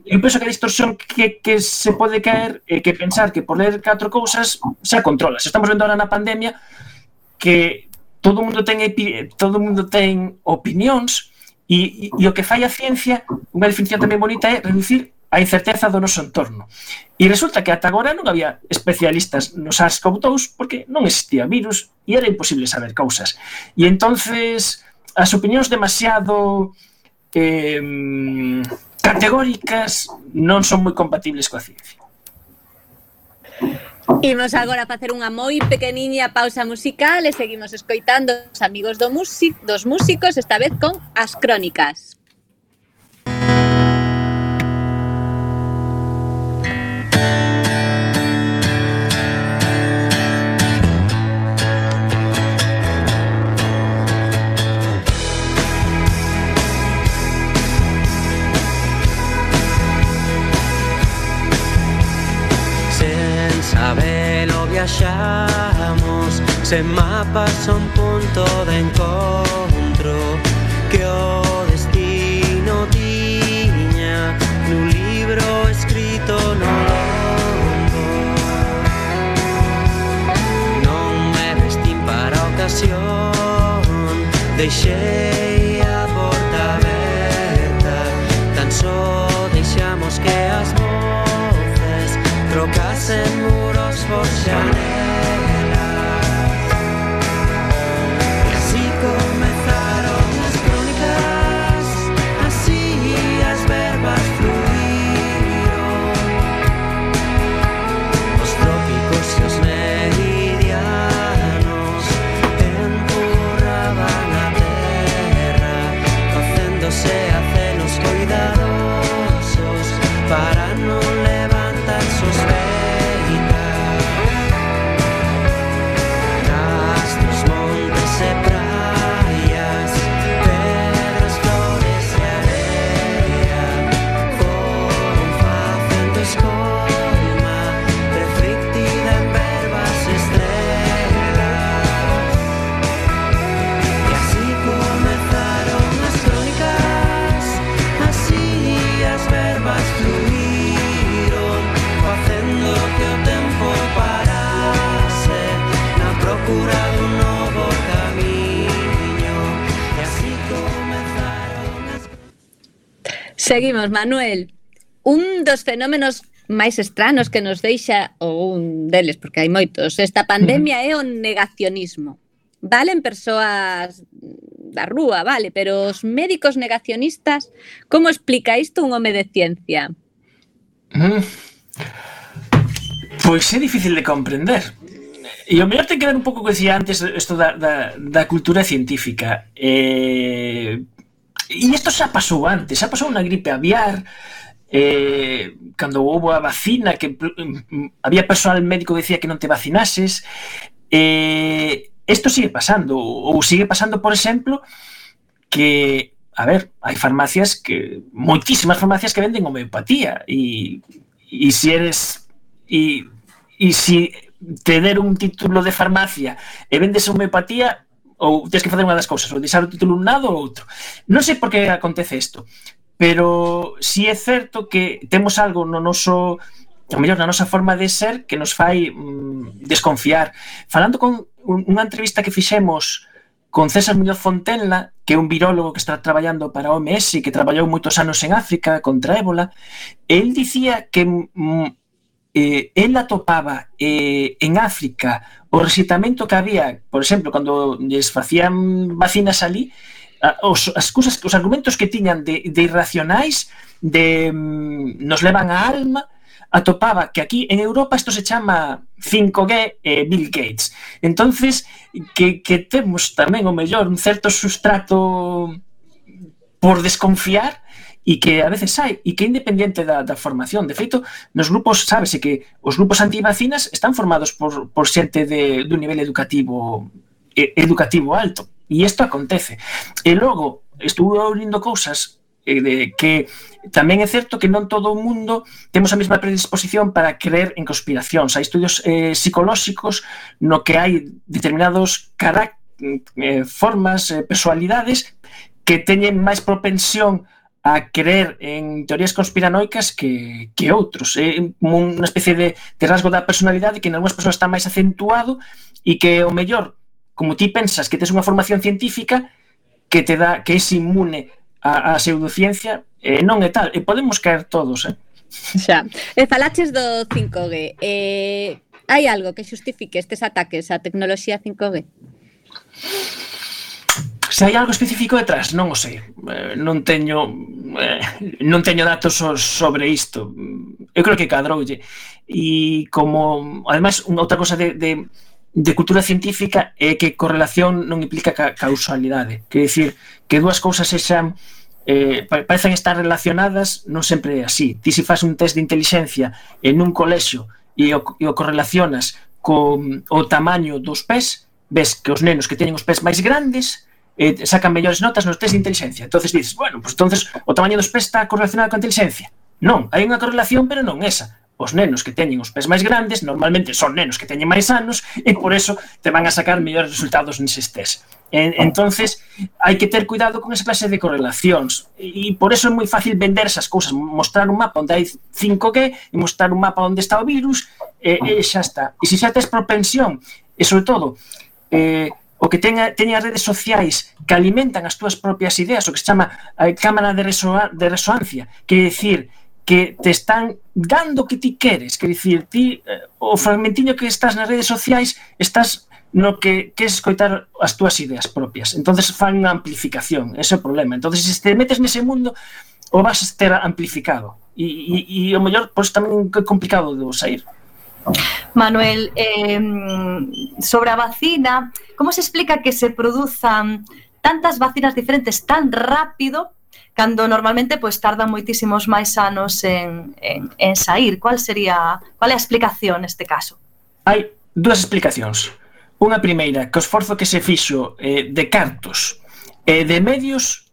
eu penso que a distorsión que se pode caer é que pensar que por ler 4 cousas xa controlas. Estamos vendo ahora na pandemia que todo o mundo ten opinións e o que fai a ciencia, unha definición tamén bonita, é reducir a incerteza do noso entorno. E resulta que ata agora non había especialistas no SARS-CoV-2 porque non existía virus e era imposible saber cousas. E entonces as opinións demasiado categóricas non son moi compatibles coa ciencia. Imos agora a facer unha moi pequeniña pausa musical e seguimos escoitando os amigos dos músicos, esta vez con As Crónicas. Sabelo viaxamos, sen mapas son punto de encontro que o destino tiña nun libro escrito no lombo. Non me vestín para a ocasión, deixei a porta aberta, tan só deixamos que as voces trocasen muros por xanelas. E así comezaron as crónicas, así as verbas fluíron. Os trópicos e os meridianos empurraban a terra, facéndose acenos cuidadosos para non levantar sospeitas. Rastros, montes e praias, pedras, flores e areia foron facendo escolma reflectida en verbas e estrelas. E así comezaron as crónicas, así as verbas fluíron, facendo que o tempo parase na procura dun novo camiño. E así comezaron as... Seguimos, Manuel. Un dos fenómenos máis estranos que nos deixa, ou un deles, porque hai moitos, esta pandemia é o negacionismo. Valen persoas da rúa, vale, pero os médicos negacionistas, como explica isto un home de ciencia? Pois é difícil de comprender. E o mellor ten que ver un pouco que decía antes isto da cultura científica. E isto xa pasou antes, xa pasou na gripe aviar, cando houve a vacina, que había persoal médico que decía que non te vacinases. Isto sigue pasando, ou sigue pasando, por exemplo, que, a ver, hai farmacias moitísimas farmacias que venden homeopatía e si eres e si te der un título de farmacia e vendes homeopatía, ou tens que facer unha das cousas, ou deixar o título un lado ou outro. Non sei por que acontece isto, pero si é certo que temos algo no noso, ou mellor, na nosa forma de ser que nos fai desconfiar. Falando con unha entrevista que fixemos con César Muñoz Fontenla, que é un virólogo que está traballando para a OMS e que traballou moitos anos en África contra ébola, el dicía que el atopaba en África o rexeitamento que había, por exemplo, cando lles facían vacinas ali, os argumentos que tiñan de irracionais, de nos levan a alma, atopaba que aquí en Europa isto se chama 5G Bill Gates. Entonces, que temos tamén o mellor un certo sustrato por desconfiar e que a veces hai, e que é independente da formación. De feito, nos grupos, sábese que os grupos antivacinas están formados por xente dun nivel educativo alto, e isto acontece. E logo, estuve ouvindo cousas que tamén é certo que non todo o mundo temos a mesma predisposición para creer en conspiracións. Hai estudios psicolóxicos no que hai determinados formas, personalidades que teñen máis propensión a creer en teorías conspiranoicas que outros. É unha especie de rasgo da personalidade que en algunhas persoas está máis acentuado e que o mellor, como ti pensas que tes unha formación científica que te dá, que é inmune a pseudociencia, non é tal, e podemos caer todos, Xa. Falaches do 5G. Hai algo que xustifique estes ataques á tecnoloxía 5G? Se hai algo específico detrás, non o sei. Non teño datos sobre isto. Eu creo que cadroulle. E como, ademais, unha outra cosa de cultura científica é que correlación non implica causalidade. Quer dicir, que dúas cousas sexan parecen estar relacionadas, non sempre é así. Ti se faz un test de inteligencia en un colexio e o correlacionas con o tamaño dos pés, ves que os nenos que teñen os pés máis grandes sacan mellores notas nos test de inteligencia. Entonces dices, bueno, pues entonces o tamaño dos pés está correlacionado con a inteligencia. Non, hai unha correlación, pero non esa. Os nenos que teñen os pés máis grandes normalmente son nenos que teñen máis anos e por eso te van a sacar mellores resultados neses test. Entonces hai que ter cuidado con esa clase de correlacións e por eso é moi fácil vender esas cousas, mostrar un mapa onde hai 5G e mostrar un mapa onde está o virus e xa está. E se xa tes propensión e sobre todo o que teña as redes sociais que alimentan as túas propias ideas, o que se chama a cámara de resoancia, que é dicir que te están dando o que ti queres, que dicir, ti o fragmentiño que estás nas redes sociais estás no que queres escoitar as túas ideas propias, entonces fan unha amplificación, ese é o problema. Entonces se te metes nese mundo o vas a ter amplificado e o mellor, pois tamén é complicado de sair. Manuel, sobre a vacina, como se explica que se produzan tantas vacinas diferentes tan rápido cando normalmente pois tardan moitísimos máis anos en sair? Qual é a explicación neste caso? Hai dúas explicacións. Unha primeira, que o esforzo que se fixo de cartos e de medios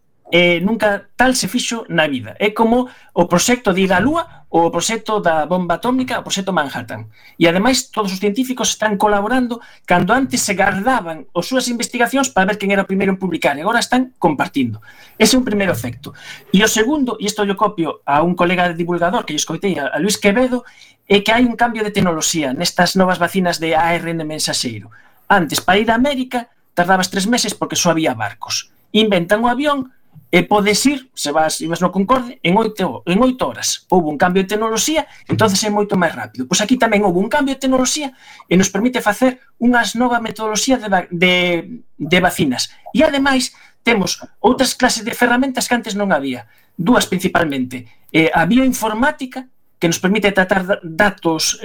nunca tal se fixo na vida. É como o proxecto de ir á Lúa ou o proxecto da bomba atómica, o proxecto Manhattan. E ademais todos os científicos están colaborando cando antes se guardaban as súas investigacións para ver quen era o primeiro en publicar e agora están compartindo. Ese é un primeiro efecto. E o segundo, e isto yo copio a un colega de divulgador que yo escoitei, a Luis Quevedo, é que hai un cambio de tecnoloxía nestas novas vacinas de ARN mensaxeiro. Antes, para ir a América, tardabas 3 meses porque só había barcos. Inventan o avión e podes ir, se ibas no Concorde, en 8 horas. Houve un cambio de tecnoloxía, entonces é moito máis rápido. Pois aquí tamén houve un cambio de tecnoloxía e nos permite facer unhas nova metodoloxía de vacinas. E ademais, temos outras clases de ferramentas que antes non había. Dúas principalmente. A bioinformática, que nos permite tratar datos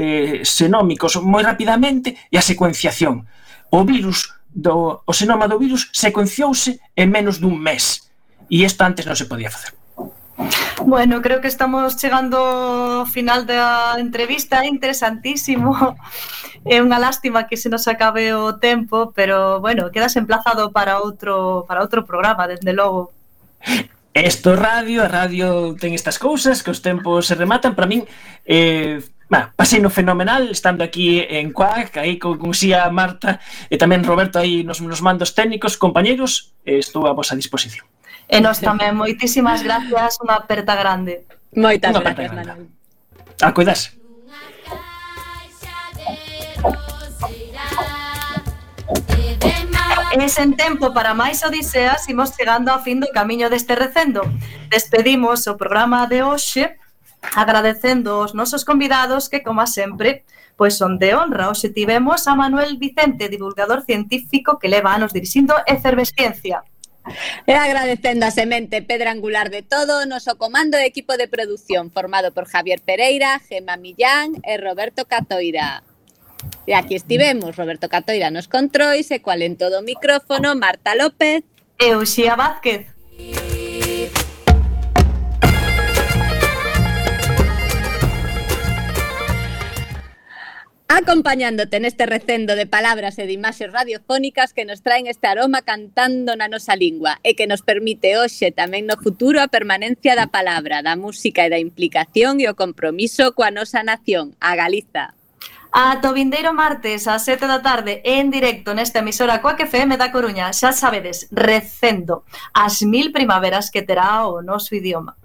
xenómicos moi rapidamente, e a secuenciación. O xenoma do virus secuenciouse en menos dun mes. E isto antes non se podía facer. Bueno, creo que estamos chegando ao final da entrevista, é interesantísimo. É unha lástima que se nos acabe o tempo, pero, bueno, quedas emplazado para outro programa, desde logo. Esto a radio ten estas cousas, que os tempos se rematan. Para min, pasei no fenomenal, estando aquí en Cuac, aí con Xía, Marta, e tamén Roberto aí nos mandos técnicos, compañeros, estou a vosa disposición. E nós tamén, moitísimas gracias, unha aperta grande. Moitas gracias, Manuel. A cuidarse. E sen tempo para máis odiseas, imos chegando ao fin do camiño deste recendo. Despedimos o programa de hoxe agradecendo aos nosos convidados que, como sempre, pois son de honra. Hoxe tivemos a Manuel Vicente, divulgador científico que leva anos dirixindo Efervesciencia. E agradecendo a semente pedra angular de todo o noso comando de equipo de produción formado por Javier Pereira, Gemma Millán e Roberto Catoira. E aquí estivemos, Roberto Catoira nos controis e cual en todo o micrófono, Marta López e Uxía Vázquez. Acompañándote neste recendo de palabras e de imaxes radiofónicas que nos traen este aroma cantando na nosa lingua e que nos permite hoxe tamén no futuro a permanencia da palabra, da música e da implicación e o compromiso coa nosa nación, a Galiza. Ata o vindeiro martes ás 7 da tarde en directo nesta emisora Coac FM da Coruña. Xa sabedes, recendo as 1000 primaveras que terá o noso idioma.